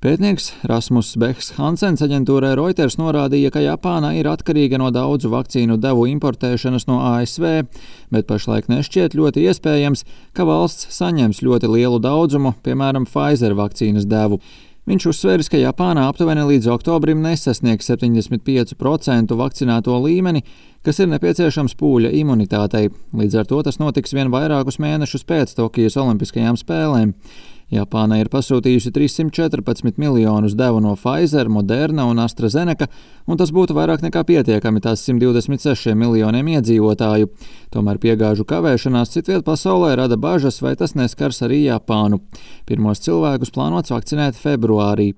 Pētnieks Rasmus Behs-Hansens aģentūrai Reuters norādīja, ka Japāna ir atkarīga no daudzu vakcīnu devu importēšanas no ASV, bet pašlaik nešķiet ļoti iespējams, ka valsts saņems ļoti lielu daudzumu, piemēram, Pfizer vakcīnas devu. Viņš uzsvēris, ka Japāna aptuveni līdz oktobrim nesasniegs 75% vakcinēto līmeni, kas ir nepieciešams pūļa imunitātei. Līdz ar to tas notiks vien vairākus mēnešus pēc Tokijas Olimpiskajām spēlēm. Japāna ir pasūtījusi 314 miljonus devu no Pfizer, Moderna un AstraZeneca, un tas būtu vairāk nekā pietiekami tās 126 miljoniem iedzīvotāju. Tomēr piegāžu kavēšanās citviet pasaulē rada bažas, vai tas neskars arī Japānu. Pirmos cilvēkus plānots vakcinēt februārī.